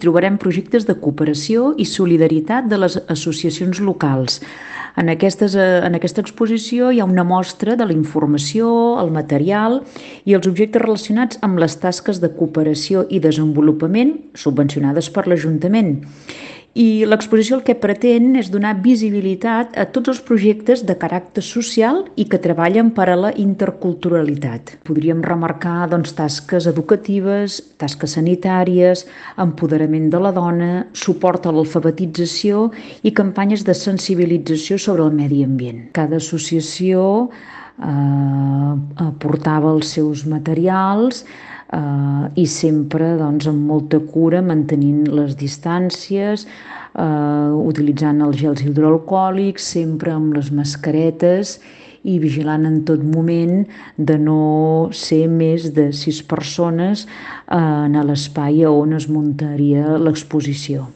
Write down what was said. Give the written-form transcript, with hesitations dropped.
Trobarem projectes de cooperació i solidaritat de les associacions locals. En aquesta exposició hi ha una mostra de la informació, el material i els objectes relacionats amb les tasques de cooperació i desenvolupament subvencionades per l'Ajuntament. I l'exposició el que pretén és donar visibilitat a tots els projectes de caràcter social i que treballen per a la interculturalitat. Podríem remarcar tasques educatives, tasques sanitàries, empoderament de la dona, suport a l'alfabetització i campanyes de sensibilització sobre el medi ambient. Cada associació aportava els seus materials i sempre amb molta cura, mantenint les distàncies, utilitzant els gels hidroalcohòlics, sempre amb les mascaretes i vigilant en tot moment de no ser més de 6 persones en l'espai on es muntaria l'exposició.